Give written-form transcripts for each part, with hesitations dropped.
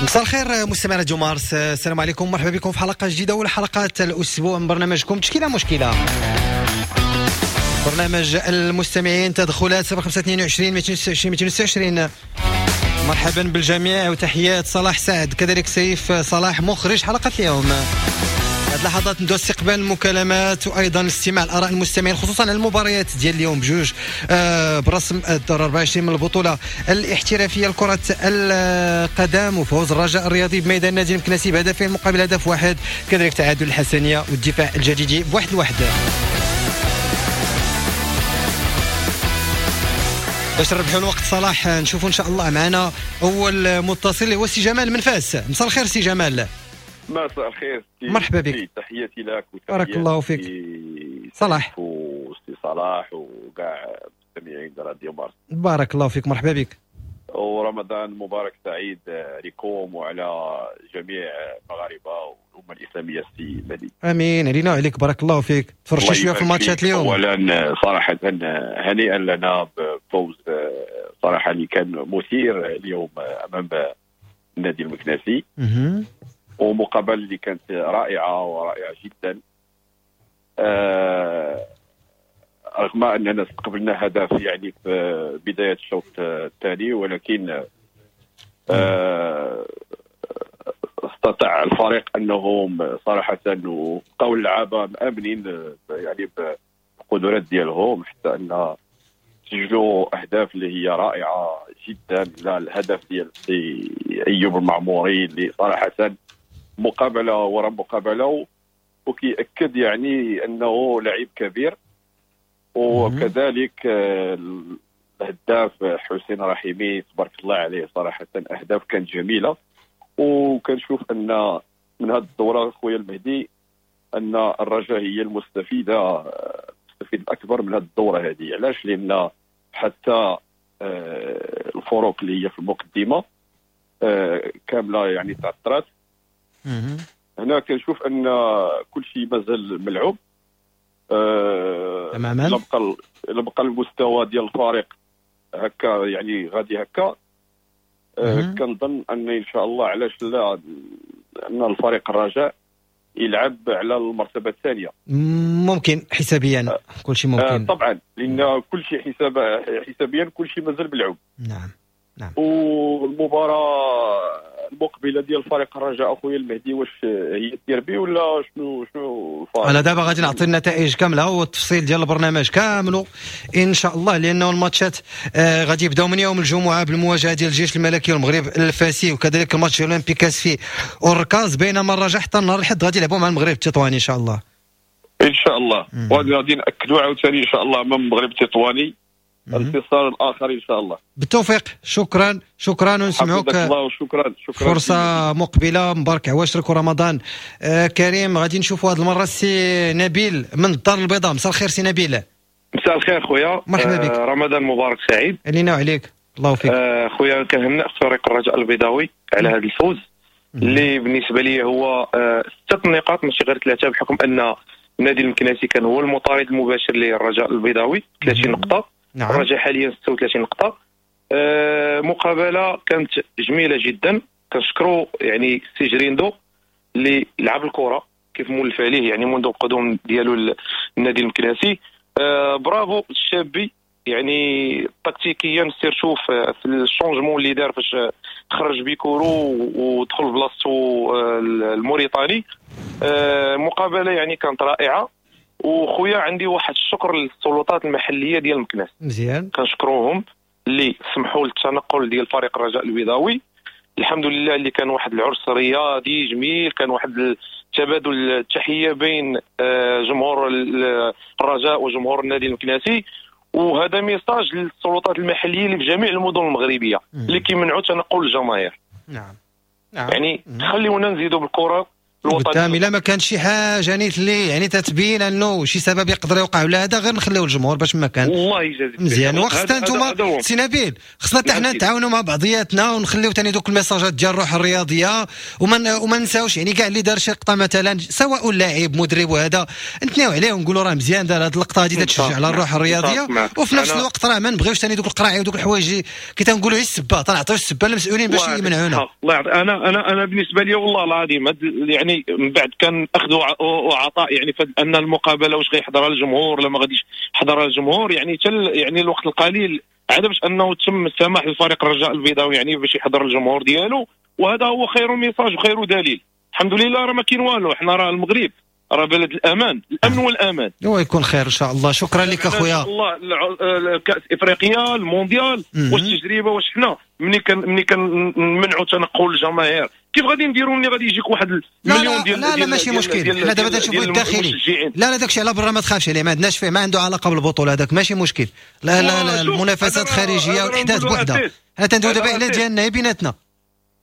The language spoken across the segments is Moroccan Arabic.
مساء الخير مستمعي راديو مارس، السلام عليكم، مرحبا بكم في حلقة جديدة ولا حلقات الاسبوع من برنامجكم تشكيله مشكلة. برنامج المستمعين، تدخلات 0522 226 226. مرحبا بالجميع وتحيات صلاح سعد، كذلك سيف صلاح مخرج حلقة اليوم. هذه اللحظات ندوز استقبال المكالمات وايضا الاستماع لاراء المستمعين، خصوصا على المباريات ديال اليوم بجوج برسم الدور 24 من البطولة الاحترافية لكرة القدم، وفوز الرجاء الرياضي بميدان النادي المكناسي بهدفين مقابل هدف واحد، كذلك تعادل الحسنيه والدفاع الجديدي ب1-1. باش نربحوا الوقت صلاح، نشوفوا ان شاء الله معنا اول متصل اللي هو سي جمال من فاس. مساء الخير سي جمال. مساء الخير، مرحبا بك، تحياتي لك. بارك الله فيك صلاح وسي صلاح وكاع المستمعين راديو مارس. بارك الله فيك، مرحبا بك، ورمضان مبارك سعيد عليكم وعلى جميع المغاربة والامه الاسلامية. سي مهدي. امين علينا وعليك، بارك الله فيك. تفرجتي شوية في الماتشات اليوم؟ اولا صراحة هنيئا لنا بفوز صراحة اللي كان مثير اليوم امام النادي المكناسي، ومقابله اللي كانت رائعة ورائعة جدا، رغم اننا استقبلنا هدف يعني في بداية الشوط الثاني، ولكن استطاع الفريق انهم صراحة وبقاو اللعابه مامنين يعني بالقدرات ديالهم، حتى ان سجلوا اهداف اللي هي رائعة جدا. لا الهدف ديال سي ايوب المعموري اللي صراحة مقابله وراء مقابله وكيأكد يعني انه لعيب كبير، وكذلك الهداف حسين رحيمي تبارك الله عليه، صراحة اهداف كانت جميلة. وكنشوف ان من هذه الدورة خويا المهدي ان الرجاء هي المستفيده، المستفيد الاكبر من هذه الدورة هذه. علاش؟ لان حتى الفروق اللي هي في المقدمة كاملة يعني تعثرات. هنا كنشوف ان كل شيء مازال ملعوب تماما. الا بقى المستوى ديال الفريق هكا يعني غادي هكا، كنظن ان ان شاء الله علاش لا ان الفريق الرجاء يلعب على المرتبة الثانية. ممكن حسابيا كل شيء ممكن طبعا، لان كل شيء حسابيا كل شيء مازال ملعوب. نعم نعم. والمباراة المقبلة ديال فريق الرجاء اخويا المهدي واش هي الديربي ولا شنو الفريق؟ انا دابا غادي نعطي النتائج كاملة والتفصيل ديال البرنامج كامل ان شاء الله، لانه الماتشات غادي يبداو من يوم الجمعة بالمواجهه ديال الجيش الملكي والمغرب الفاسي، وكذلك الماتش اولمبي كاسفي والركاز، بينما الرجاء حتى النهار الاحد غادي يلعبوا مع المغرب التطواني ان شاء الله. ان شاء الله وغادي ناكدوا عاوتاني ان شاء الله امام المغرب التطواني الانتصار الاخر ان شاء الله. بالتوفيق، شكرا شكرا، ونسمعوك. شكرا شكرا، فرصة مقبله، مبارك عواشرك ورمضان كريم. غادي نشوفوا هذه المرة السي نبيل من الدار البيضاء. مساء الخير سي نبيل. مساء الخير خويا، مرحبا بك، رمضان مبارك سعيد علينا وعليك. الله فيك خويا. كنهنئ فريق الرجاء البيضاوي على هذا الفوز اللي بالنسبة لي هو 6 نقاط ماشي غير 3، بحكم ان النادي المكناسي كان هو المطارد المباشر للرجاء البيضاوي 30 نقطة. نعم. الرجاء حاليا 36 نقطة. مقابلة كانت جميلة جدا، كنشكروا يعني سي جريندو اللي لعب الكرة كيف مولف عليه يعني منذ القدوم ديالو للنادي المكناسي. برافو الشابي، يعني تكتيكيا surtout في ال changement اللي دار فاش خرج بيكورو ودخل بلاصتو الموريتاني. مقابلة يعني كانت رائعة. وخويا عندي واحد الشكر للسلطات المحلية ديال مكناس، مزيان، كنشكروهم اللي سمحوا للتنقل ديال فريق الرجاء البيضاوي. الحمد لله اللي كان واحد العرس رياضي جميل، كان واحد التبادل التحية بين جمهور الرجاء وجمهور النادي المكناسي. وهذا message للسلطات المحلية اللي في جميع المدن المغربية اللي كيمنعوا تنقل الجماهير. نعم نعم، يعني خليونا نزيدوا بالكرة، قدام الا ما كان شي حاجة نيت اللي يعني تتبين انه شي سبب يقدر يوقع ولا هذا، غير نخليو الجمهور باش ما كان. الله يجازيك مزيان. وخصنا انتم سي نبيل، خصنا حتى حنا نتعاونوا مع بعضياتنا ونخليو ثاني دوك الميساجات ديال الروح الرياضية، وما نساوش يعني كاع اللي دار شي لقطة مثلا سواء لاعب مدرب وهذا نتناو عليه ونقولوا راه مزيان دار هذه اللقطة هذه تتشجع على الروح الرياضية. وفي نفس الوقت راه ما نبغيوش ثاني دوك القراعي ودوك الحوايج كي تنقولوا غير السبه، تنعطيو السبه للمسؤولين باش يمنعونا. الله يعطي. انا بالنسبة لي والله العظيم يعني من بعد كان اخذ وعطاء، يعني ان المقابلة واش غيحضرها الجمهور ولا ما غاديش يحضرها الجمهور، يعني يعني الوقت القليل عاد باش انه تم السماح للفريق الرجاء البيضاوي يعني باش يحضر الجمهور ديالو، وهذا هو خير message وخير دليل. الحمد لله راه ما كاين والو، حنا راه المغرب راه بلد الامان، الامن والامان. هو يكون خير ان شاء الله. شكرا لك اخويا. الله كاس افريقيا، المونديال، واش التجربة، واش حنا ملي كنمنعوا تنقل الجماهير كيف غادي نديروا ملي غادي يجيك واحد المليون ديال؟ لا لا ماشي مشكل، حنا دابا تنشوفوا الداخلي. لا لا داكشي على برا ما تخافش عليه، ما عندناش فيه، ما عنده علاقة بالبطولة هذاك، ماشي مشكل. لا لا لا المنافسات الخارجية والاحداث بوحدها. حنا تندويو دابا على ديالنا بيناتنا،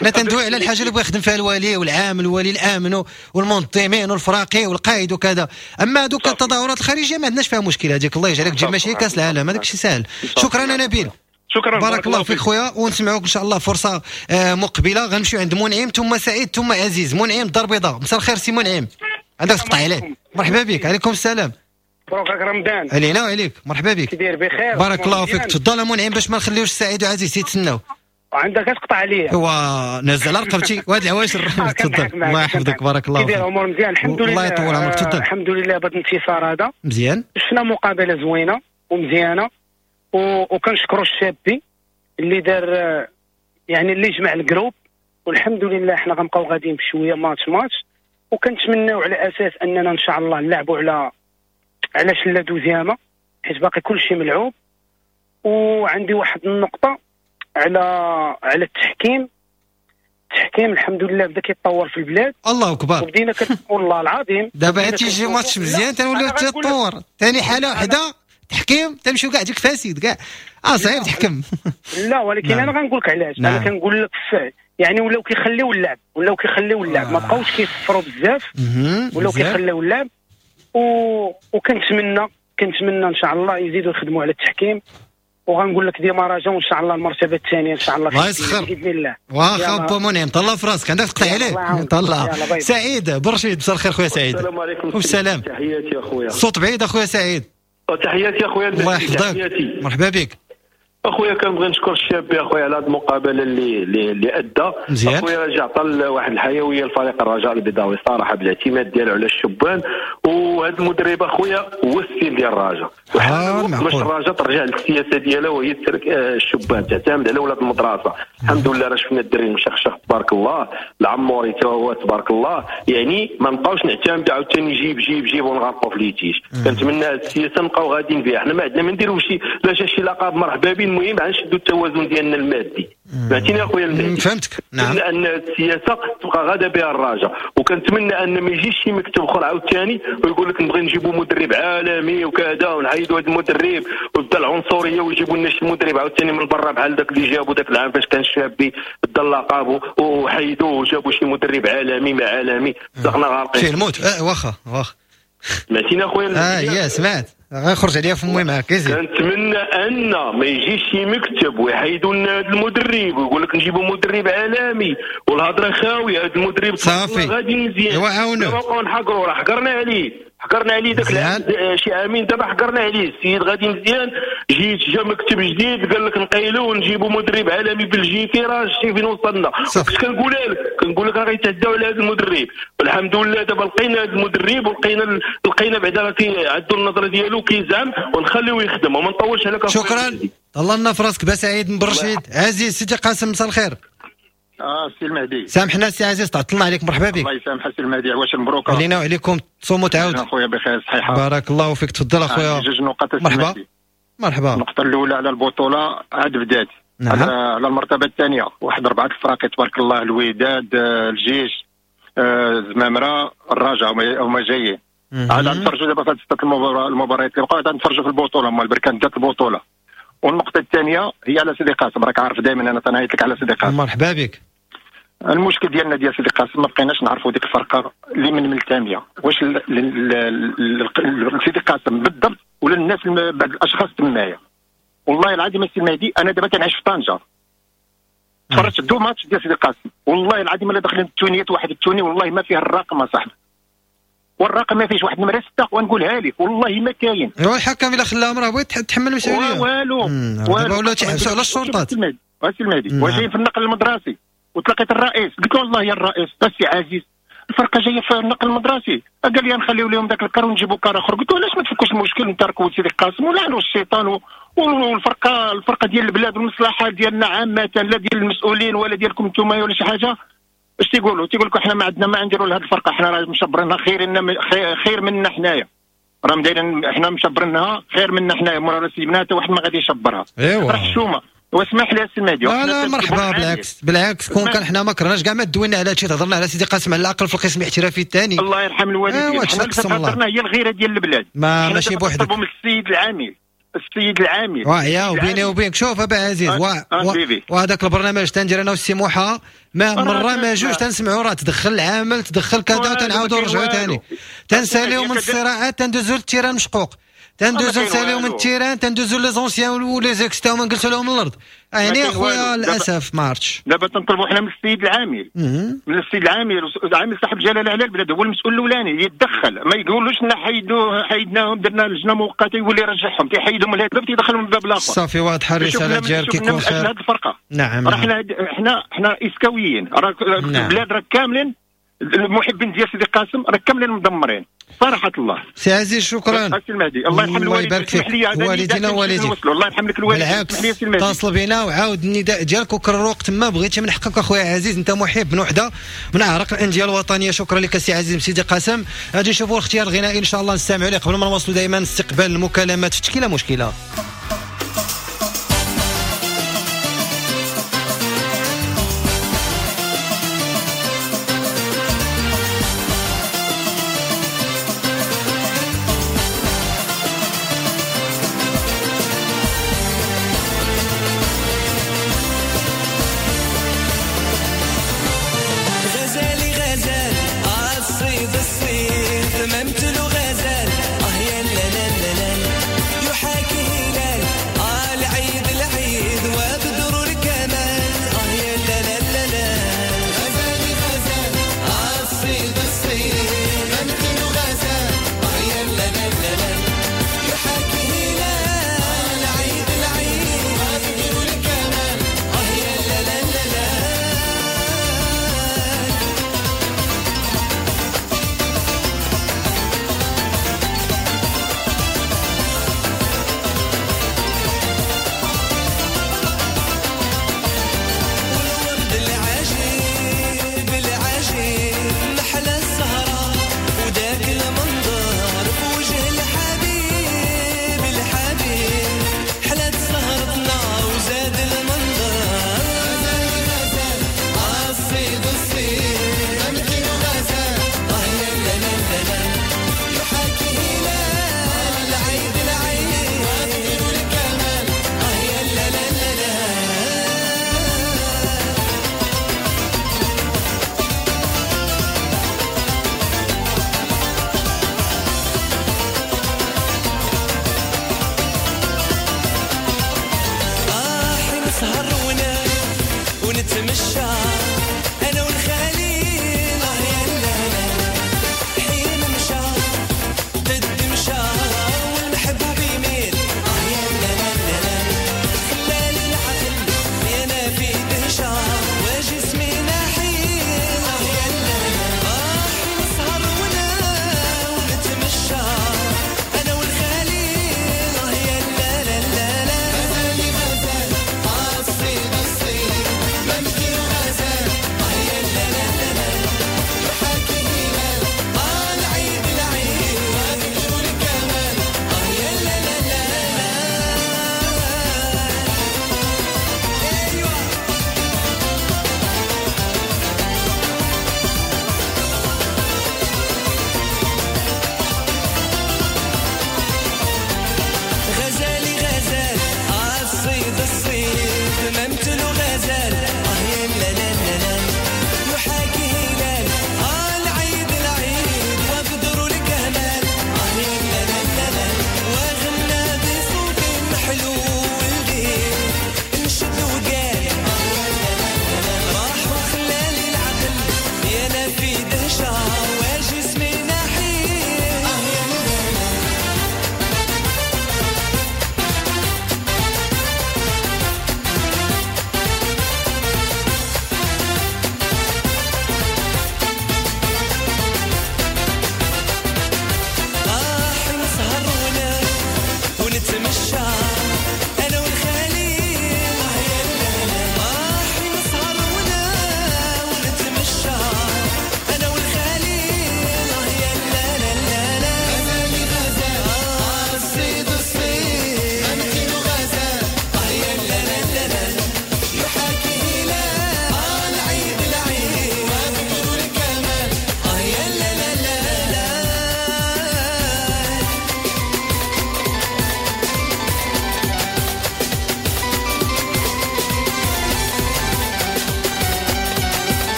حنا تندوي على الحاجة اللي بغى يخدم فيها الوالي والعام، الوالي الامن والمنظمين والفراقي والقائد وكذا. اما دوك التظاهرات الخارجية ما عندناش فيها مشكل، هذيك الله يجعلك تجي ماشي كاس العالم، هذاك الشيء ساهل. شكرا نبيل، شكرا، بارك الله فيك خويا، ونسمعوك ان شاء الله فرصة مقبله. غنمشيو عند منعم ثم سعيد ثم عزيز. منعم الدار البيضاء، مساء الخير سي منعم، عندك تقطع عليه. مرحبا بك. عليكم السلام. مبروك رمضان. علينا وعليك، مرحبا بك. كي بخير؟ بارك الله فيك. تفضل منعم باش ما نخليوش سعيد وعزيز يتسناو. عندك تقطع عليا. هو نزل رقبتي وهاد العواشر. تفضل. الله يحفظك، بارك الله فيك. كيدير امور مزيان الحمد لله. الله يطول عمرك. تفضل. الحمد لله بهذا الانتصار هذا مزيان، شفنا مقابله زوينة ومزيانه، وكنشكروا الشابي اللي دار يعني اللي جمع ال groupe، والحمد لله حنا غنبقاو غاديين بشوية match match، وكنتمناو على اساس اننا ان شاء الله نلعبوا على شله deuxième، حيت باقي كلشي ملعوب. وعندي واحد النقطة على التحكيم. التحكيم الحمد لله بدا كيتطور في البلاد. الله اكبر. وبدينا والله العظيم دابا تيجي ماتش مزيان تنوليو تطور ثاني حاله وحده تحكيم تمشيو كاع ديك فاسد كاع، صعيب تحكم. لا ولكن انا غنقول لك علاش. انا كنقول لك يعني ولاو كيخليو اللعب، ولاو كيخليو اللعب، ما بقاوش كيصفروا بزاف، ولاو كيخليو اللعب. وكنتمنى ان شاء الله يزيدوا يخدموا على التحكيم. وغنقول لك ديما رجاء وان شاء الله المرتبة الثانية ان شاء الله باذن الله. واخا با منعم، طلع في راسك، عندك تقطع عليه. طلع سعيد برشيد، مساء الخير خويا سعيد. السلام عليكم. والسلام. تحياتي اخويا. الصوت بعيد اخويا سعيد. تحياتي اخويا. الله يحفظك، مرحبا بك اخويا. كنبغي نشكر الشاب اخويا على هذه المقابلة اللي ادى اخويا. رجع عطى واحد الحيوية لفريق الرجاء البيضاوي صراحة بالاعتماد ديالو على الشبان، وهذا المدرب اخويا هو ال style ديال الرجاء. باش الرجاء ترجع للسياسة ديالها وهي ترك الشبان، تعتمد على ولاد المدرسة. الحمد لله راه شفنا الدري المشخشخ تبارك الله، العموري تا هو تبارك الله، يعني ما نبقاوش نعتمد عاوتاني جيب جيب جيب ونغرقوا في litige. كنتمنى هذه السياسة نبقاو غاديين بها. حنا ما عندنا ما نديرو شي لا شي لقب مرحبا به، المهم غنشدوا التوازن ديالنا المادي. فهمتيني اخويا المهدي؟ فهمتك. نعم. ان السياسة تبقى غاده بها الرجاء، وكنتمنى ان ما يجيش شي مكتب اخر عاوتاني ويقول لك نبغي نجيبوا مدرب عالمي وكذا ونعيدوا هذا المدرب ويبدا العنصرية ويجيبوا لنا شي مدرب عاوتاني من برا بحال داك اللي جابوا داك العام فاش كان الشابي بدا اللقب وحيدوه وجابوا شي مدرب عالمي ما عالمي، صدقنا غارقين شي الموت. واخا واخا سمعتيني اخويا؟ يا سمعت، غنخرج عليا فمي معاك. كنتمنى ان ما يجيش شي مكتب ويحيدوا لنا هذا المدرب ويقول لك نجيبوا مدرب عالمي والهضره خاوية. هذا المدرب صافي غادي مزيان، ايوا عاونوه. نبقاو نحقروا، راه حقرنا عليه، حقرنا عليه داك العام شي عامين دابا حقرنا عليه. السيد غادي مزيان، جيت جا مكتب جديد قال لك نقيلوه ونجيبوا مدرب عالمي بلجيكي، راه شتي فين وصلنا. كنت كنقولها لك، كنقول لك راه غيتعداو على هذا المدرب. والحمد لله دابا لقينا هذا المدرب ولقينا لقينا بعدا كيعدوا النظرة ديالو كيزعم ونخليوه يخدم وما نطولش عليك. شكرا. الله لنا في راسك با سعيد من برشيد. عزيز سيدي قاسم، مساء الخير. سي المهدي، سامحنا سي عزيز تعطلنا عليك، مرحبا بك. الله يسامحك سي المهدي، عواش مبروك علينا وعليكم، تصوموا تعاود اخويا بخير صحيحه. بارك الله فيك، تفضل اخويا. جوج نقاط. مرحبا مرحبا. النقطة الاولى على البطولة عاد بدات. نعم. على المرتبة الثانية واحد 4 الفراقي تبارك الله، الوداد، الجيش، الزمامره، الرجاء هما جايين. عاد نتفرجوا دابا في هاد 6 المباريات اللي بقاو، عاد نتفرجوا في البطولة، هما البركان دات البطولة. والنقطة الثانية هي على سيدي قاسم، راك عارف دائما انا تنعيط لك على سيدي قاسم. مرحبا بك. المشكل ديالنا ديال سيدي قاسم ما بقيناش نعرفوا ديك الفرقة اللي من التاميه، واش سيدي قاسم بالضبط ولا الناس بعض الاشخاص تمايا. والله العظيم السي المهدي انا دابا كنعيش في طنجه، تفرجت deux matchs ديال سيدي قاسم، والله العظيم الا داخلين التونيات واحد التوني والله ما فيه الرقم اصاحبي، والرقم ما فيهش واحد نمره 6 ونقولها لك والله ما كاين. الحكم الا خلاهم راه بغيت تحمل المسؤولية. والو دابا ولاو تيحبسوا على الشرطات. السي المهدي وجاي في النقل المدرسي وتلاقيت الرئيس، قلت له والله يا الرئيس السي عزيز الفرقة جاية في النقل المدرسي، قال لي نخليو لهم ذاك الكار ونجيبوا كار اخر. قلت له علاش ما تفكوش المشكل نتركوا سيدي قاسم ولعنوا الشيطان والفرقة الفرقة ديال البلاد والمصلحة ديالنا عامة، لا ديال المسؤولين ولا ديالكم انتم ولا شي حاجة. اش تيقولوا؟ تيقول لك حنا ما عندنا ما نديروا لهذه الفرقة، حنا راه مشبرينها خير منا حنايا، راه دايرين حنا مشبرينها خير منا حنايا، مورا سيبناها حتى واحد ما غادي يشبرها. ايوا راه حشومه. واسمح لي السي المهدي. لا مرحبا، بالعكس بالعكس، كون كان حنا ما كرهناش كاع ما دوينا على هادشي، تهضرنا على سيدي قاسم على الاقل في القسم الاحترافي الثاني. الله يرحم الوالدين، حنا اللي هي الغيرة ديال البلاد، ما ماشي بوحدك. من السيد العامل، السيد العامل ويا وبيني وبينك شوف ابا عزيز وهذاك البرنامج تندير انا والسي موحى ما مرة ما جوج تنسمعوا راه تدخل العامل تدخل كذا وتنعاودوا نرجعوا ثاني تنساليو من الصراعات تندوزو لل terrain مشقوق، تندوزو نساليو من ال terrain تندوزو les anciens و les ex تاعهم نجلسوا لهم الارض. يعني اخويا للاسف ما عرفتش. دابا تنطلبوا حنا من السيد العامل، من السيد العامل، العامل صاحب الجلاله على البلاد هو المسؤول الاولاني يتدخل، ما يقولوش لنا حيدناهم درنا لجنة مؤقتة يولي يرجعهم، تيحيدهم من هذا الباب تيدخلهم من الباب الاخر. صافي واضحة الرسالة ديالك كيكون خير. هذه الفرقة نعم، راه حنا اسكاويين، راه البلاد راه كاملين المحبين ديال سيدي قاسم راه كاملين مدمرين صراحة الله. سي عزيز شكرا. سي المهدي الله يرحم الوالدين، الله يبارك فيك، والدينا ووالديك. الله يرحم لك الوالدين. بالعكس اتصل بينا وعاود النداء ديالك وكرر وقت ما بغيتي، من حقك اخويا عزيز، انت محب من وحده من اعرق الاندية الوطنية. شكرا لك سي عزيز سيدي قاسم. غادي نشوفوا الاختيار الغنائي ان شاء الله نستمعوا ليه قبل ما نواصلوا دائما استقبال المكالمات في تشكيله مشكلة. الصيد ممتلو غزال، اه يا لا لا لا لا يحاكي.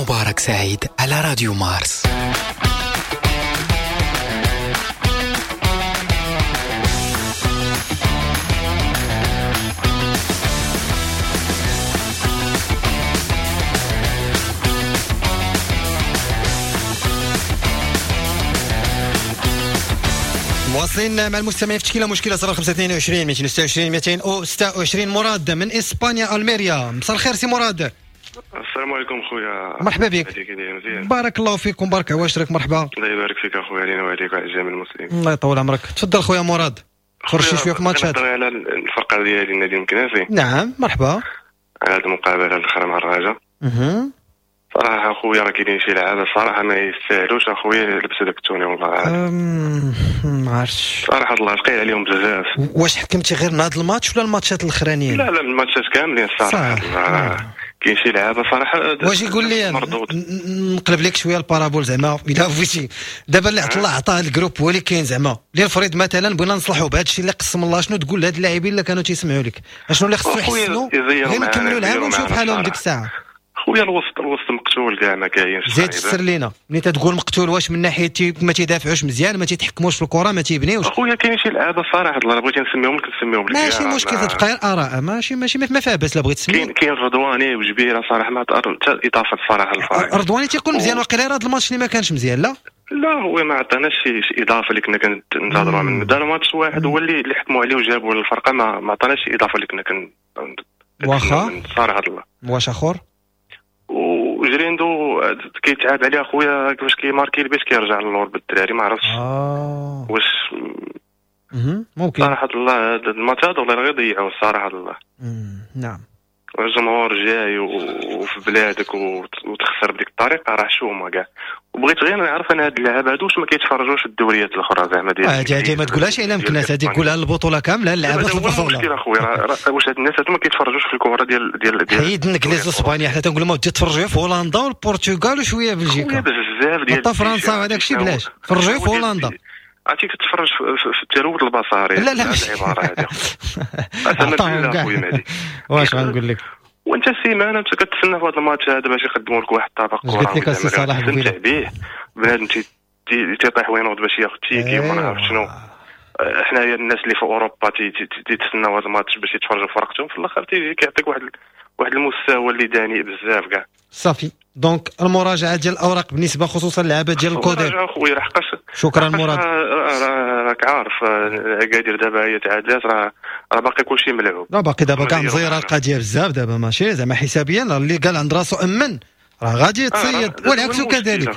مبارك سعيد على راديو مارس. مواصلين مع المستمعين في تشكيله مشكلة 0522 226 226. مراد من اسبانيا الميريا، مساء الخير سي مراد. السلام عليكم خويا، مرحبا بك. بارك الله فيكم، بارك عواشرك. مرحبا. الله يبارك فيك اخويا، علينا وعليك وعلى جميع المسلمين. الله يطول عمرك. تفضل خويا مراد، تفرج شي شوية في الماتشات. على الفرقة ديالي النادي المكناسي. نعم مرحبا. على هذه المقابلة الاخرى مع الرجاء. صراحة اخويا راه كاينين شي لعابه صراحة ما يستاهلوش اخويا لبسوا داك ال tenue والله العظيم. ما عرفتش صراحة الله ثقيل عليهم بزاف. واش حكمتي غير من هذا الماتش ولا الماتشات الاخرانيين؟ لا لا الماتشات كاملين الصراحة. كاين شي لعابه صراحة. واش يقول لي نقلب لك شوية ال parabole زعما الا بغيتي. دابا اللي طلع عطاه ال groupe هو اللي كاين زعما اللي الفريد مثلا بغينا نصلحوا بهذا الشيء اللي قسم الله، شنو تقول لهاد اللاعبين اللي كانوا تيسمعوا لك؟ شنو اللي خصو يحسنوا غير نكملوا العام ونشوف بحالهم ديك الساعة؟ خويا الوسط مقتول كاع ما كاينش. زيد تفسر لينا ملي تتقول مقتول، واش من ناحية ما تيدافعوش مزيان، ما تيتحكموش في الكره، ما تيبنيوش؟ خويا كاين شي لعابه صراحة الله بغيتي نسميهم لك نسميهم لك، ماشي مشكل، تبقى غير اراء، ماشي ماشي ما فيها باس. لا بغيت تسمي كاين رضواني وجبيره صراحة ما حتى اضافه صراحة للفريق. رضواني تيكون مزيان وقيلا هذا الماتش اللي ما كانش مزيان. لا لا هو ما عطاناش شي اضافه اللي كنا كننتظروها منه. دار ماتش واحد هو اللي حكموا عليه وجابوا للفرقة، ما عطاناش شي اضافه اللي كنا كن واخا صراحة الله. واش اخر؟ وجريندو كيتعاب عليه اخويا كيفاش كيماركي البيت كيرجع للور بالدراري ما عرفتش واش ممكن صراحة الله هذا الماتش هذا والله غير ضيعوه صراحة الله. نعم الجمهور جاي وفي بلادك وتخسر بديك الطريقة راه شومه كاع. وبغيت غير نعرف انا هاد اللعابه هادو واش ما كيتفرجوش في الدوريات الاخرى زعما ديال هادي ما تقولهاش على مكناس، هادي قولها للبطولة كاملة اللعابه في البطولة. المشكل اخويا واش هاد الناس هادو ما كيتفرجوش في الكره ديال ديال ديال حيد الانجليز واسبانيا، حنا تنقول لهم تفرجوا في هولندا والبرتغال وشوية بلجيكا بزاف ديال حتى فرنسا وهذاك الشيء بلاش، فرجوا في هولندا. عرفتي كتفرج في التلوث البصري. لا لا ماشي العبارة هذه. اخويا مهدي واش غنقول لك؟ وانت السيمانة انت كتسنى في هذا الماتش هذا باش يقدموا لك واحد الطبق كره قلت لك السي صلاح تستمتع به، بنادم تيطيح وينوض باش ياخذ ticket وما نعرف شنو. حنايا الناس اللي في اوروبا تيتسناو هذا الماتش باش يتفرجوا في فرقتهم، في الاخر كيعطيك واحد المستوى اللي داني بزاف كاع. صافي donc المراجعة ديال الاوراق بالنسبة خصوصا اللعابه ديال الكودير. خويا لحقاش شكرا مراد، راك عارف اكادير دابا هي تعادلات، راه باقي كلشي ملعوب. لا باقي دابا كاع مزيره القضية بزاف دابا، ماشي زعما حسابيا اللي قال عند راسو امن راه غادي يتصيد والعكس كذلك،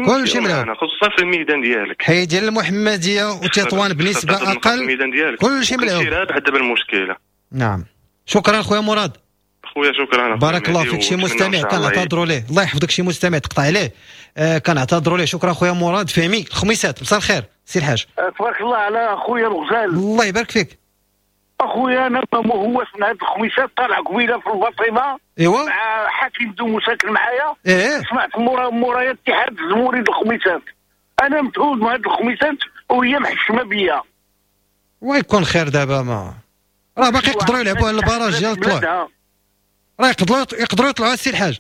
كلشي ملعوب خصوصا في الميدان ديالك. حي ديال المحمدية وتطوان بنسبة اقل كلشي ملعوب. رابح دابا المشكلة. نعم شكرا خويا مراد. خويا شكرا بارك الله فيك. شي مستمع كنعتذروا ليه، الله يحفظك، شي مستمع تقطع عليه كنعتذروا ليه. شكرا خويا مراد. فهمي الخميسات مساء الخير سي الحاج. تبارك الله على خويا الغزال. الله يبارك فيك اخويا. انا ما هوش من هاد الخميسات، طالع قبيلة في الباطمه ايوا مع حكيم دومو ساكن معايا. إيه؟ سمعت مورايا اتحاد الزموري الخميسات، انا متعود من هاد الخميسات وهي محشمه بيا. ويكون خير دابا، ما راه باقي يقدروا يلعبوا على ال barrage ديال الطلوع، راه يقدروا يطلعوا السي الحاج.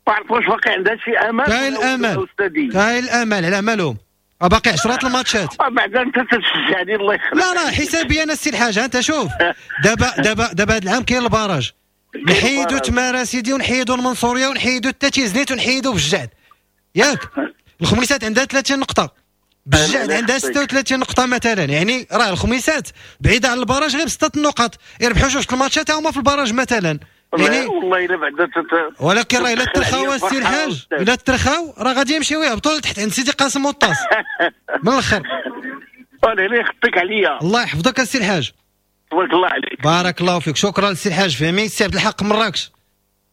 ما عرفت واش باقي عندها شي امل. كاين الامل، كاين الامل على مالهم، باقي 10 الماتشات. بعدا انت تشجعني الله يخليك. لا لا حسابي انا السي الحاج، انت شوف دابا دابا دابا هذا العام كاين ال barrage، نحيدوا تمارا سيدي ونحيدوا المنصوريه ونحيدوا التاتيزنيت ونحيدوا بالجعد، ياك الخميسات عندها 30 نقطة، بالجعد عندها 36 نقطة مثلا، يعني راه الخميسات بعيدة على ال barrage غير ب6 النقط، يربحوا جوج الماتشات هما في ال barrage مثلا. يعني والله الا بعدا ولكن راه الا ترخاو السي الحاج، الا ترخاو راه غادي يمشيو يهبطوا لتحت عند سيدي قاسم والطاس من الاخر. الله يخطيك عليا. الله يحفظك السي الحاج. تبارك الله عليك. بارك الله فيك. شكرا للسي الحاج فهمي. السي عبد الحق مراكش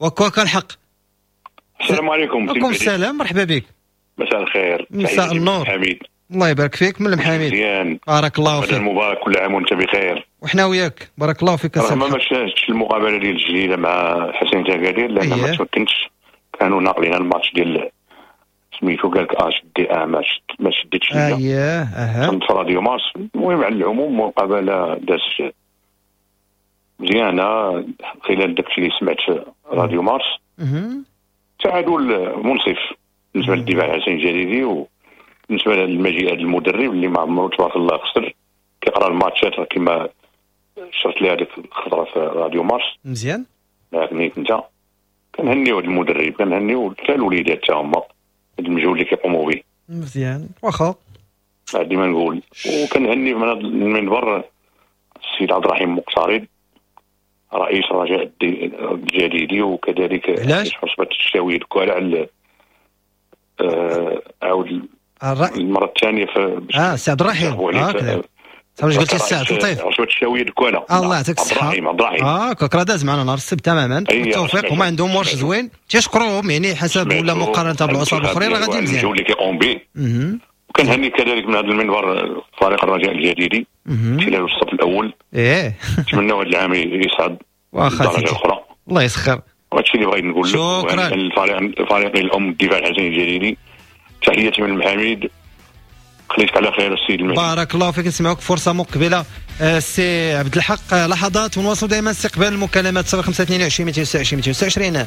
وكواكا الحق. السلام عليكم. وعليكم السلام، مرحبا بك. مساء الخير. مساء النور. حميد. الله يبارك فيك. من المحاميد. بارك الله فيك. مبارك، كل عام وانت بخير. وحنا وياك بارك الله فيك. رغم ما شاهدتش المقابلة ديال الجديدة مع حسين تاكادير لان ما تمكنتش، كانوا ناقلين الماتش ديال سميتو قال لك اش دي ا ما شديتش ليا. اييه اها كنت في راديو مارس. المهم على العموم مقابله دازت مزيانه خلال داكشي اللي سمعت في راديو مارس. تعادل منصف بالنسبة للدفاع الحسني الجديدي، وبالنسبة للمجيء هذا المدرب اللي ما عمرو تبارك الله خسر، كيقرا الماتشات كما شرت لي هذيك الخطرة في راديو مارس مزيان. لكن انت كنهنيو هذا المدرب، كنهنيو حتى الوليدات حتى هما هذا المجهود اللي كيقوموا به مزيان. واخا ديما نقول، وكنهني من هذا المنبر السيد عبد الرحيم مقترب رئيس الرجاء الجديدي، وكذلك رئيس عصبة الشاوية الكوالة على عاود المرة الثانية في السي عبد الرحيم. صافي قلتي السي عبد اللطيف عصبة الشاوية الكوالة. الله يعطيك الصحة. عبد الرحيم كرا داز معنا نهار السبت تماما. بالتوفيق، هما عندهم ورش زوين تيشكروهم يعني حسب ولا مقارنة بالعصب الاخرين راه غادي مزيان اللي كيقوم به. وكنهني كذلك من هذا المنبر فريق الرجاء الجديدي خلال الصف الاول. نتمنوا هذا العام يصعد واخا الاخرى. الله يسخر. وهادشي اللي بغيت نقول لك. شكرا. الفريق الام الدفاع الحسني الجديدي، تحياتي من المحاميد، خليتك على خير السيد المهدي. بارك الله فيك. نسمعوك فرصة مقبله السي عبد الحق. لحظات ونواصل دائما استقبال المكالمات 0522 226 226.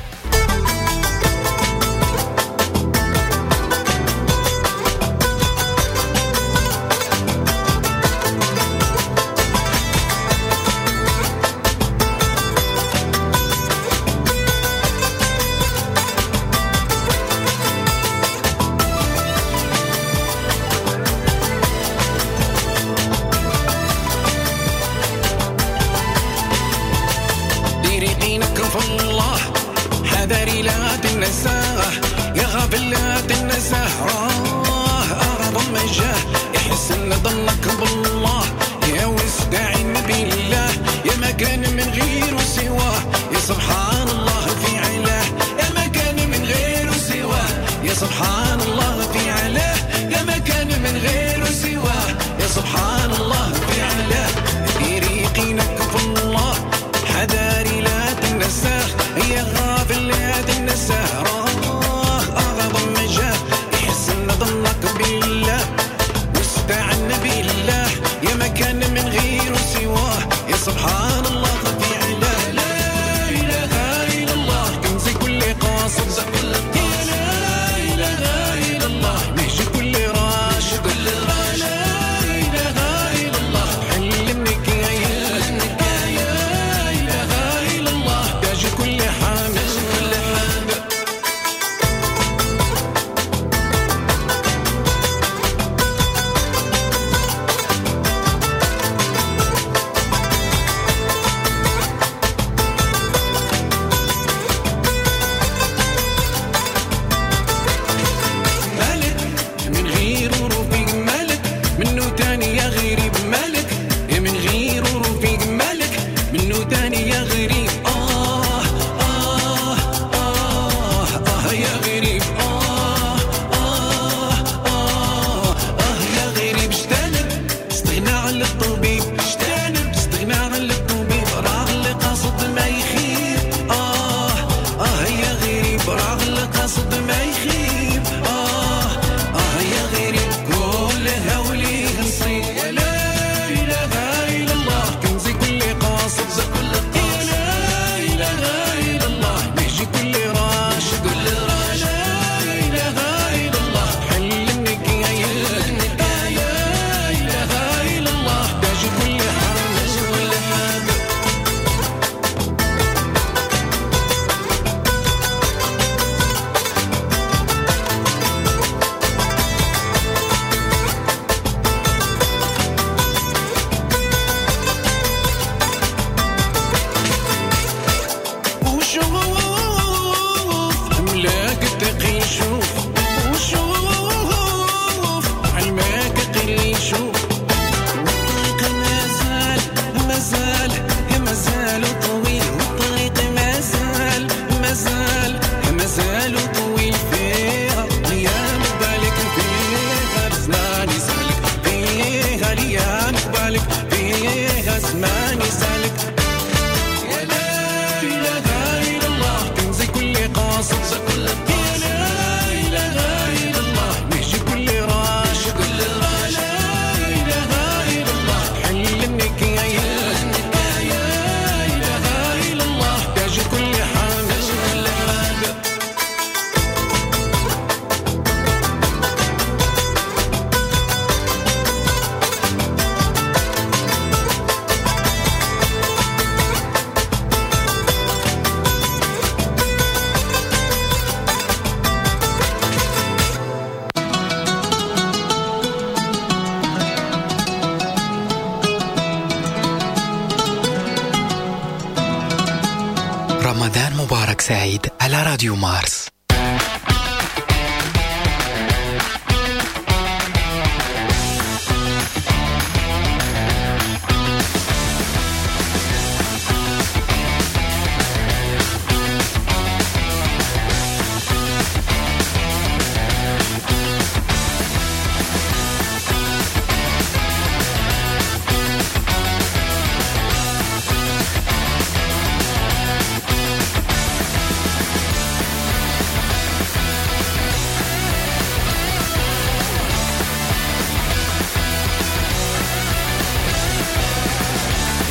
رمضان مبارك سعيد على راديو مارس.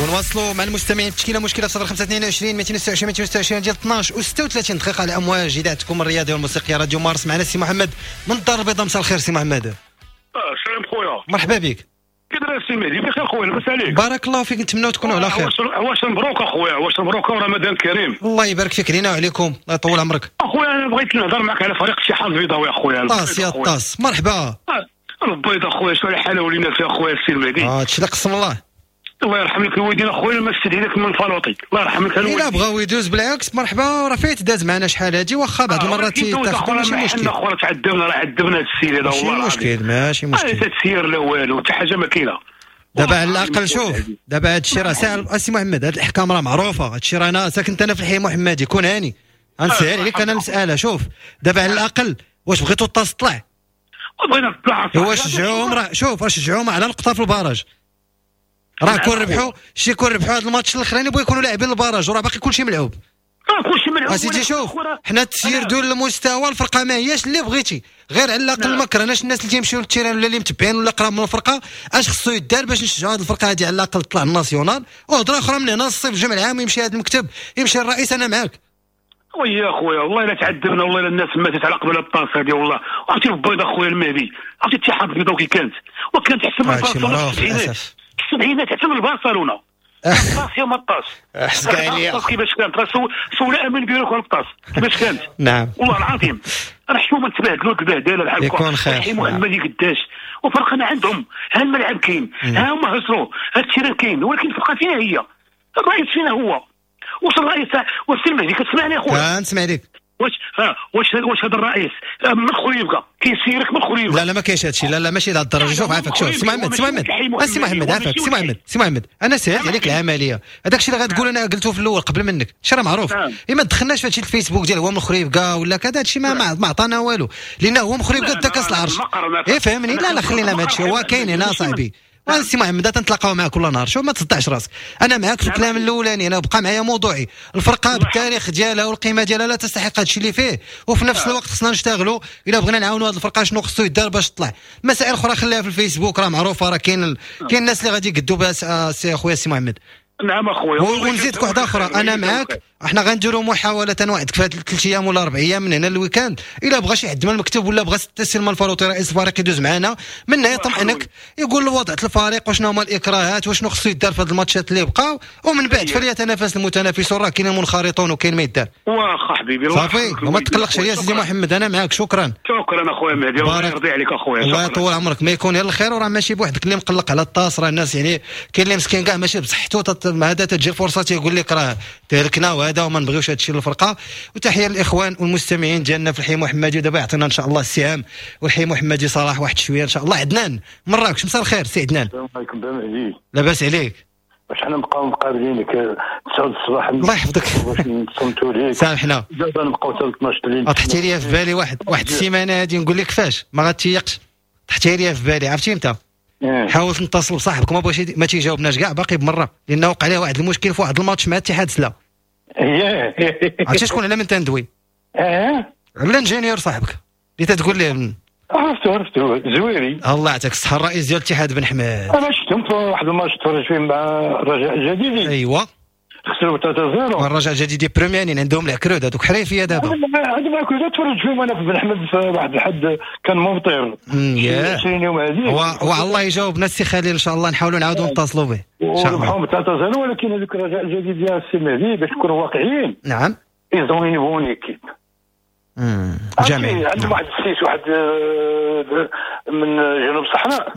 ونواصلوا مع المستمعين تشكيله مشكلة في 0522 226 226 ديال 12 و36 دقيقة على امواج اذاعتكم الرياضية والموسيقيه راديو مارس. معنا سي محمد من الدار البيضاء. مساء الخير سي محمد. السلام خويا، مرحبا بك. كي داير السي مهدي؟ بخير خويا، لاباس عليك؟ بارك الله فيك، نتمناو تكونوا على خير. واش مبروك اخويا، واش مبروك ورمضان كريم. الله يبارك فيك لينا وعليكم، الله يطول عمرك. اخويا انا بغيت نهضر معك على فريق الاتحاد البيضاوي اخويا. طاس يا طاس، مرحبا. البيضاء اخويا شنو الحالة ولينا فيها اخويا السي المهدي؟ هادشي اللي قسم الله. الله يرحم لك الوالدين اخويا، ما استدعيناك من فالوطي، الله يرحم لك الوالدين. الا بغاو يدوز بالعكس مرحبا، راه فايت داز معنا شحال هادي، واخا بعض المرات تيتاخذوا ماشي مشكل. اخويا تعذبنا، راه عذبنا هاد السيد هذا والله. ماشي مشكل، ماشي مشكل، لا تسير لا والو، حتى حاجة ما كاينه. دابا على الاقل شوف دابا هاد الشيء راه ساهل اسي محمد، هاد الاحكام راه معروفة، هاد الشيء راه انا ساكن انا في الحي محمدي، كون هاني غنسهل عليك انا المسالة. شوف دابا على الاقل واش بغيتو الطاس طلع؟ بغينا تطلع. هو شجعوهم، راه شوف راه شجعوهم على نقطة في ال barrage، راه كون ربحوا شي كون ربحوا هذا الماتش الاخراني بغا يكونوا لاعبين ال barrage، وراه باقي كلشي ملعوب. كلشي ملعوب اسيدي. شوف حنا التسيير دون المستوى، الفرقة ما هياش اللي بغيتي، غير على الاقل ما كرهناش الناس اللي تيمشيو لل terrain ولا اللي متبعين ولا قراب من الفرقة، اش خصو يدار باش نشجعوا هذه الفرقة هذه على الاقل تطلع ال national. وهضره اخرى من هنا الصيف الجمع العام يمشي هذا المكتب، يمشي الرئيس، انا معاك. ويا خويا والله الا تعذبنا، والله الا الناس ماتت على قبل الطاس هذه والله. عرفتي البيضة خويا المهدي، عرفتي الاتحاد البيضاوي كي كانت، وكانت تحسب البارسا السبعينات، حتى من برشلونة الطاس يا ما الطاس الطاس كيفاش كانت، سول امين بيروك على الطاس كيفاش كانت. نعم والله العظيم راه حشومه تبهدلوا البهدله بحال هكا. يكون خير. الحي محمدي قداش وفرقنا عندهم، ها الملعب كاين، ها هما هزروا، ها ال terrain كاين، ولكن الفرقة فينا هي، الرئيس فينا هو. واش الرئيس واش المهدي كتسمعني اخويا؟ نسمع لك. واش واش هذا الرئيس من خريبكه كيسيرك من خريبكه؟ لا لا ما كاينش هادشي، لا لا ماشي لهاد الدرجة. شوف عافاك، شوف سي محمد، سي محمد، سي محمد عافاك، سي محمد، سي محمد، انا سهلت عليك العملية، هذاك الشيء اللي غتقول انا قلته في الاول قبل منك، شي راه معروف. ما دخلناش في هادشي الفيسبوك ديال هو من خريبكه ولا كذا، هادشي ما عطانا والو، لان هو من خريبكه دا كاس العرش. اي فهمني؟ لا لا خلينا من هادشي، هو كاين هنا صاحبي. سي محمد تنتلاقاو معاك كل نهار، شوف ما تصدعش راسك، انا معاك في الكلام الاولاني، انا بقى معايا موضوعي، الفرقة بالتاريخ ديالها والقيمة ديالها لا تستحق هادشي اللي فيه، وفي نفس الوقت خصنا نشتغلوا الا بغينا نعاونوا هاد الفرقة شنو خصو يدار باش تطلع. مسائل اخرى خليها في الفيسبوك راه معروفة، راه كاين الناس اللي غادي يقدوا بها سي خويا سي محمد. نعم اخويا، ونزيدك واحدة اخرى، انا معاك، احنا غنديروا محاولة نوعدك في هاد 3 ايام ولا 4 ايام من هنا لل week-end، الا بغى شي حد من المكتب ولا بغى سلمان الفاروطي رئيس الفريق يدوز معنا، منها يطمئنك يقول وضعت الفريق وشنو هما الاكراهات وشنو خصو يدار في هاد الماتشات اللي بقاو، ومن بعد فليتنافس المتنافسون، راه كاين المنخرطون وكاين ما يدار. واخا حبيبي صافي، وما تقلقش يا سيدي محمد، انا معاك. شكرا شكرا اخويا مهدي، الله يرضي عليك اخويا، الله يطول عمرك، ما يكون غير الخير. وراه ماشي بوحدك اللي مقلق على الطاس، راه الناس يعني كاين اللي مسكين كاع ماشي بصحته، هذا تجي الفرصة تيقول لك راه تهلكنا وهذا وما نبغيوش هادشي للفرقة. وتحية للاخوان والمستمعين ديالنا في الحي محمدي، ودابا يعطينا ان شاء الله السهام والحي محمدي صلاح واحد شوية ان شاء الله. عدنان مراكش، مساء الخير سي عدنان. السلام عليكم بن مهدي، لاباس عليك؟ واش حنا نبقاو مقابلينك 9 الصباح؟ الله يحفظك، باش نصمتوا ليك. سامحنا دابا نبقاو حتى 12 الليل. طحتي لي في بالي واحد السيمانة هادي، نقول لك فاش ما غاتيقش، طحتي لي في بالي، عرفتي امتى؟ حاولت نتصل بصاحبك ما بغاش، ما تيجاوبناش كاع باقي بمرة، لانه وقع عليه واحد المشكل في واحد الماتش مع اتحاد سلا. عرفتي شكون على من تندوي؟ على l'ingénieur صاحبك اللي تتقول ليه. عرفتو زويري. الله يعطيك الصحة، الرئيس ديال الاتحاد بن حماد. انا شفتهم في واحد الماتش تفرج فيه مع الرجاء الجديدي. ايوا خسروا 3-0. الرجاء الجديدي première عندهم العكرود هذوك حريفيه دابا. عندهم العكرود، تفرج فيهم انا في بن حمد في واحد الحد كان ممطر 20 يوم هذه. وعلى الله يجاوبنا السي خليل ان شاء الله، نحاولوا نعاودوا نتصلوا به ان شاء الله. وربحوهم 3-0، ولكن هذوك الرجاء الجديد ديال السي مهدي باش نكونوا واقعيين. نعم. ils ont une bonne équipe. جميل. عندهم واحد السيس، واحد من جنوب الصحراء،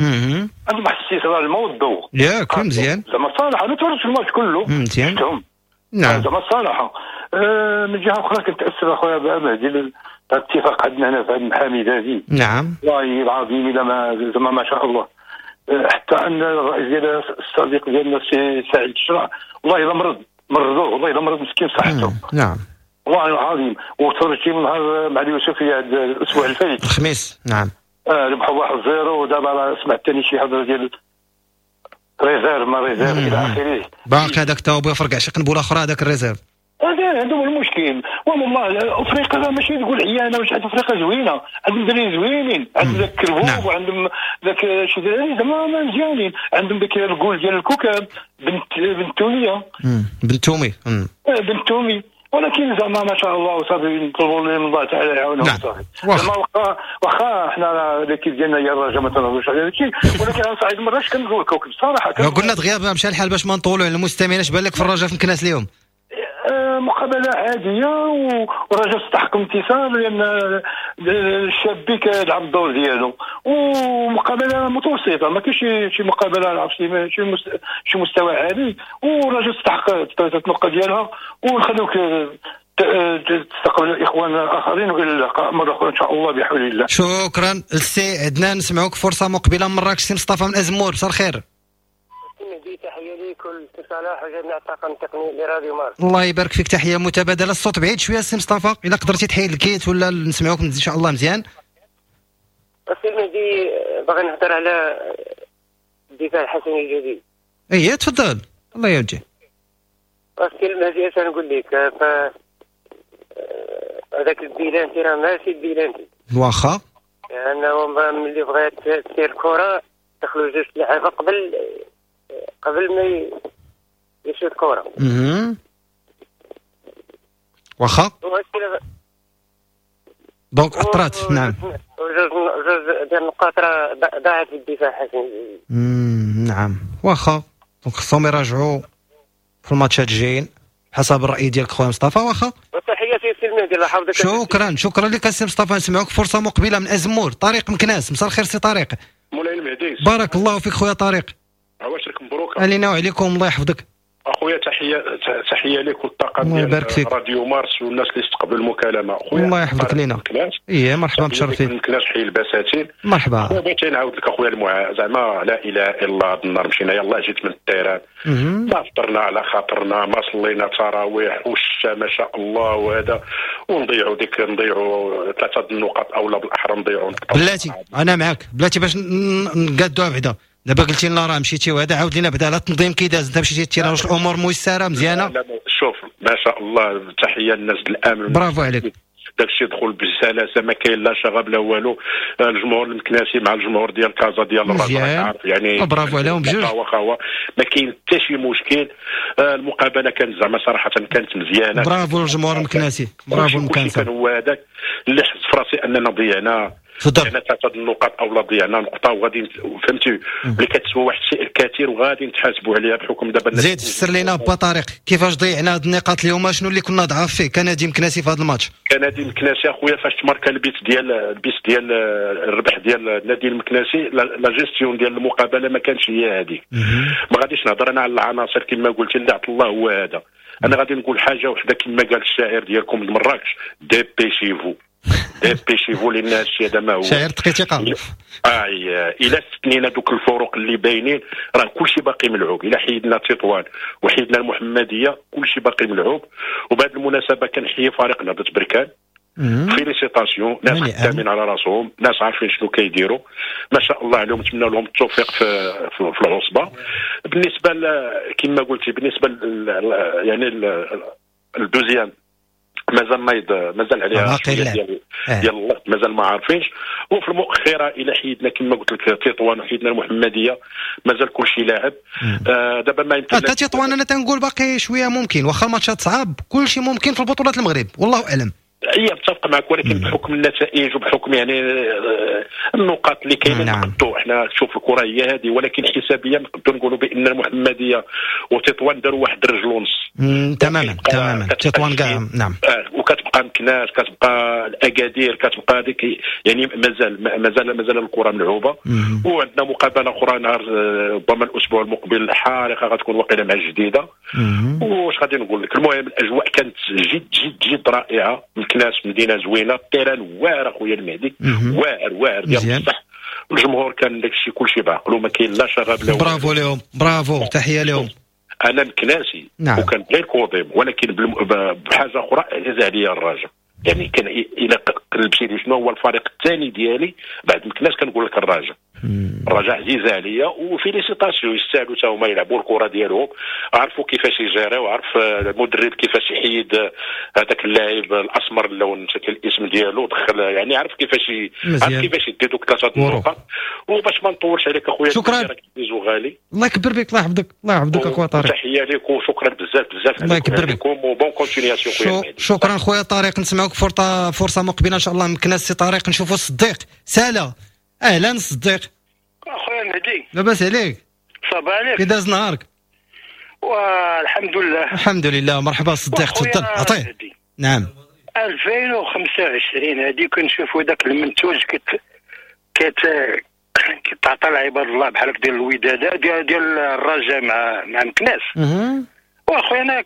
عندهم واحد السيس راه الماء والضوء. ياك مزيان. زعما الصراحة انا تفرجت في الماتش كله. مزيان. نعم. زعما الصراحة من جهة اخرى كنتاسف اخويا مهدي الاتفاق عندنا هنا في هذا المحاميد هذه. نعم والله العظيم الا ما زعما ما شاء الله، حتى ان الرئيس ديال الصديق ديالنا السي سعيد الشرع والله الا مرضوه، والله الا مرض مسكين صحته. نعم والله العظيم. وتفرجتي من نهار مع اليوسفيه هذا الاسبوع الفايت الخميس. نعم ربحوا 1-0، ودابا سمعت ثاني شي هضره ديال réserve ما réserve الى اخره. باقي هذاك تا هو بيفرقع شي قنبلة اخرى هذاك ال réserve. هذا عندهم المشكل. والله افريقيا ماشي تقول عيانه، واش حتى افريقيا زوينة، عندهم دراري زوينين، عندهم ذاك الكربوب. نعم. وعندهم ذاك شي دراري زعما مزيانين، عندهم ذاك الجول ديال الكوكب بنت توميه، بنت تومي، بنت تومي. ولكن زعما ما شاء الله وصافي، نطلبوا من الله تعالى يعاونهم. صافي زعما واخا حنا l'équipe ديالنا هي الرجاء ما تنهضروش على هادشي، ولكن على صعيد مراكش كنقول الكوكب صراحة. قلنا دغيا مشى الحال باش ما نطولوا على المستمعين. اش بان لك في الرجاء في مكناس اليوم؟ مقابله عادية، والرجاء استحق انتصار لان الشابي كيلعب الدور ديالو، ومقابله متوسطه، ما كاينش شي مقابله عرفتي شي مستوى عالي، والرجاء استحق ثلاثة النقاط ديالها. ونخلوك تستقبل الاخوان الاخرين، والى اللقاء مرة اخرى ان شاء الله بحول الله. شكرا السي عدنان، نسمعوك فرصة مقبله من مراكش. سي مصطفى من ازمور، مساء الخير. تحية لكل صلاح وجميع الطاقم التقني لراديو مارس. الله يبارك فيك، تحية متبادلة. الصوت بعيد شوية سي مصطفى، الا قدرتي تحيد ال kit ولا نسمعوك ان شاء الله مزيان. السي المهدي باغي نهضر على الدفاع الحسني الجديد. ايه تفضل، الله يوجه. السي المهدي اش نقول لك، هذاك البيلانتي راه ماشي البيلانتي. واخا لانه ملي بغات تسير الكره دخلوا جوج لعابه قبل ما يشوط الكره. واخا donc اثرات. نعم جوج ديال النقاط راه ضاعت في الدفاع حسن. نعم واخا، donc خصهم يراجعوا في الماتشات الجايين حسب الراي ديالك خويا مصطفى. واخا تحياتي سي المهدي، الله يحفظك. شكرا شكرا لك سي مصطفى. نسمعوك فرصة مقبله من ازمور، طارق مكناس. مساء الخير سي طارق. مولاي المهدي بارك الله فيك خويا طارق. عواشرك مبروك. علينا وعليكم، الله يحفظك. اخويا تحية لك والطاقم ديال راديو مارس والناس اللي استقبلوا المكالمة. اخويا الله يحفظك لينا. ايه مرحبا، متشرفين. مكناس حي البساتين. مرحبا. خويا بغيت نعاود لك اخويا زعما لا اله الا الله. هذا النهار مشينا يلاه جيت من ال terrain، ما فطرنا على خاطرنا، ما صلينا تراويح والشتا ما شاء الله وهذا، ونضيعوا نضيعوا 3 النقاط او لا بالاحرى نضيعوا نقطة. بلاتي انا معاك، بلاتي باش نقادوها بعدا. دابا قلتي لنا راه مشيتي وهذا، عاود لينا بعدا على التنظيم كي داز. انت مشيتي ال terrain، واش الامور ميسرة مزيانه؟ لا شوف ما شاء الله، تحية للناس الامن، برافو عليك. داكشي دخل بسلاسة، ما كاين لا شغب لا والو. الجمهور المكناسي مع الجمهور ديال كازا ديال الرجاء عارف يعني، برافو عليهم بجوج، خوا ما كاين حتى شي مشكل. المقابلة كانت زعما صراحة كانت مزيانه. برافو الجمهور المكناسي، برافو المكناسي. كان هو هذاك اللي حس في راسي اننا ضيعنا 3 النقاط او لا ضيعنا نقطة، وغادي فهمتي اللي كتسوى واحد الشيء الكثير وغادي نتحاسبوا عليها بحكم دابا. زيد فسر لينا با طارق كيفاش ضيعنا هاد النقاط اليوم، شنو اللي كنا ضعاف فيه كنادي مكناسي في هذا الماتش؟ كنادي مكناسي اخويا فاش تماركا البيت ديال الربح ديال النادي المكناسي، la gestion ديال المقابلة ما كانش هي هذيك. ما غاديش نهضر انا على العناصر كما قلت اللي عطى الله هو هذا. انا غادي نقول حاجة وحده كما قال الشاعر ديالكم من مراكش، dépêchez-vous dépêchez-vous، لان هادشي هذا ما هو شاعر دقيقة. الا استثنينا دوك الفروق اللي باينين راه كلشي باقي ملعوب. الا حيدنا تطوان وحيدنا المحمدية كلشي باقي ملعوب. وبهذه المناسبة كنحيي فريق نهضة بركان، félicitations، ناس خدامين على راسهم، ناس عارفين شنو كيديروا، ما شاء الله عليهم، نتمنى لهم التوفيق في العصبة. بالنسبة كما قلتي بالنسبة يعني ال deuxième مازال مازال عليها ديال الوقت، مازال ما عارفينش. وفي المؤخرة الى حيدنا كما قلت لك تطوان وحيدنا المحمدية مازال كلشي لاعب. دابا ما يمكن حتى تطوان انا تنقول باقي شوية ممكن، واخا الماتشات صعاب كلشي ممكن في البطولات المغرب والله اعلم. هي متفق معك، ولكن بحكم النتائج وبحكم يعني النقاط اللي كاينه. نعم. نقدروا حنا شوف الكره هي هذه، ولكن حسابيا نقدروا نقولوا بان المحمدية وتطوان داروا واحد الرجل ونص. تماما تماما، تطوان كاع. نعم. وكتبقى كتبقى مكناس، كتبقى الاكادير، كتبقى هذيك، يعني مازال مازال مازال الكره ملعوبه. وعندنا مقابله اخرى نهار ربما الاسبوع المقبل حارقه، غتكون واقيلا مع الجديدة. واش غادي نقول لك، المهم الاجواء كانت جد جد جد رائعة. مكناس مدينة زوينة، ال terrain واعر اخويا المهدي، واعر واعر ديال بصح. الجمهور كان داكشي كلشي بعقلو، ما كاين لا شغب لا برافو لهم، برافو، تحية لهم. انا مكناسي، نعم. وكان غير كوضيم، ولكن بحاجة اخرى عزيز عليا الرجاء. يعني كان الى قلبتي لي شنو هو الفريق الثاني ديالي بعد مكناس كنقول لك الرجاء. الرجاء عزيزه عليا، و félicitations، يستاهلوا حتى هما يلعبوا الكره ديالهم، عرفوا كيفاش يجيريو، عرف المدرب كيفاش يحيد هذاك اللاعب الاسمر اللون نسيت الاسم ديالو، دخل، يعني عرف كيفاش عرف كيفاش يدي دوك ثلاثة النقط. وباش ما نطولش عليك اخويا، شكرا غالي، الله يكبر بك، الله يحفظك، الله يحفظك اخويا طارق، تحية لك وشكرا بزاف بزاف، الله يكبر بك، و bonne continuation خويا. شكرا خويا طارق، نسمعوك فرصة مقبله ان شاء الله. مكناس سي طارق، نشوفوا الصديق سالا. اهلا صديق. اخويا مهدي، لاباس عليك؟ صباح عليك، كي داز نهارك؟ والحمد لله. الحمد لله. مرحبا صديق، تفضل عطية. نعم. 2025 هذه كنشوفوا ذاك المنتوج كتعطى لعباد الله بحال ديال الوداد ديال الرجاء مع مكناس. واخويا انا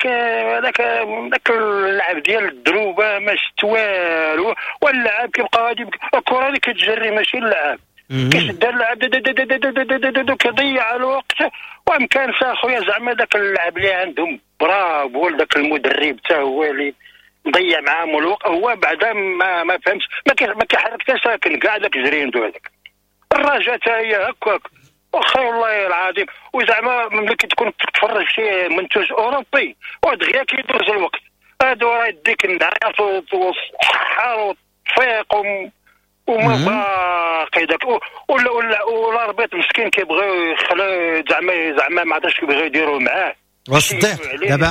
هذاك اللعب ديال الدروبه ما شفت والو، واللعب كيبقى غادي، الكره اللي كتجري ماشي اللعب، كيشد اللعب كيضيع الوقت. وامكان اخويا زعما ذاك اللعب اللي عندهم برافو لذاك المدرب حتى هو اللي مضيع معاهم الوقت، هو بعدا ما فهمش، ما كيحرك حتى ساكن كاع داك جريندو هذاك. الرجاء حتى هي هكاك واخا والله العظيم. وزعما ملي كتكون تتفرج شي منتوج اوروبي ودغيا كيدوز الوقت، هادو راه يديك النعاس والصحة والتفيق وما باقي داك. ولا l'arbitre مسكين كيبغيو يخلو زعما ما عرفتش كيبغيو يديروا معاه. وصديق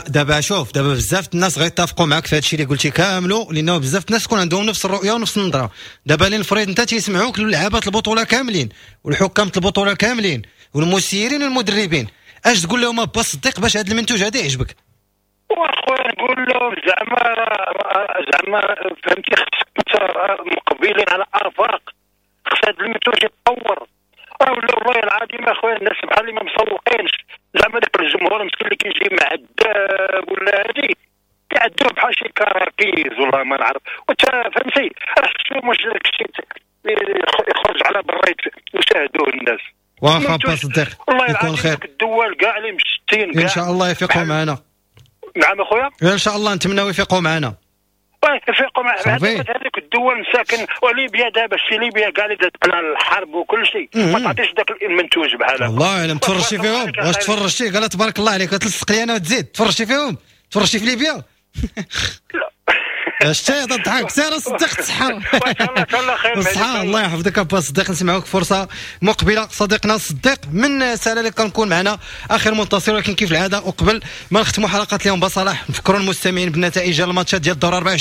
دابا شوف، دابا بزاف الناس غيتفقوا معاك في هادشي اللي قلتي كاملو، لانه بزاف الناس تكون عندهم نفس الرؤية ونفس النظرة. دابا لنفرض انت تيسمعوك لعابات البطولة كاملين والحكام البطولة كاملين والمسيرين والمدربين، اش تقول لهم با صديق باش هذا المنتوج هذا يعجبك؟ واخويا نقول لهم زعما فهمتي، خصك مقبلين على افاق، خص هذا المنتوج يتطور. والله العظيم اخويا الناس بحال اللي ما مسوقينش، زعما داك الجمهور مسكين اللي كيجي معذب ولا هادي كيعدوه بحال شي كراكيز والله ما نعرف. وانت فهمتي راه شو واش داكشي يخرج على برا يشاهدوه الناس. واخا با صديق، يكون خير. الدول كاع اللي مشتين ان شاء الله يفيقوا معنا. نعم اخويا، ان شاء الله نتمناو يفيقوا معنا. يفيقوا مع هذيك الدول مساكن. وليبيا دابا شي ليبيا كاع اللي دازت على الحرب وكل شيء، ما تعطيش ذاك المنتوج بحال هكا. الله اعلم. تفرجتي فيهم؟ واش تفرجتي؟ قال تبارك الله عليك، تلصق لي انا وتزيد. تفرجتي فيهم؟ تفرجتي في ليبيا؟ لا شتي تضحك سير صديق تسحر. صحة الله يحفظك ابا صديق، نسمعوك فرصة مقبله. صديقنا صديق من سنة اللي كنكون معنا اخر منتصر، ولكن كيف العادة وقبل ما نختموا حلقة اليوم بصلاح نفكروا المستمعين بالنتائج الماتشات ديال الدور 24.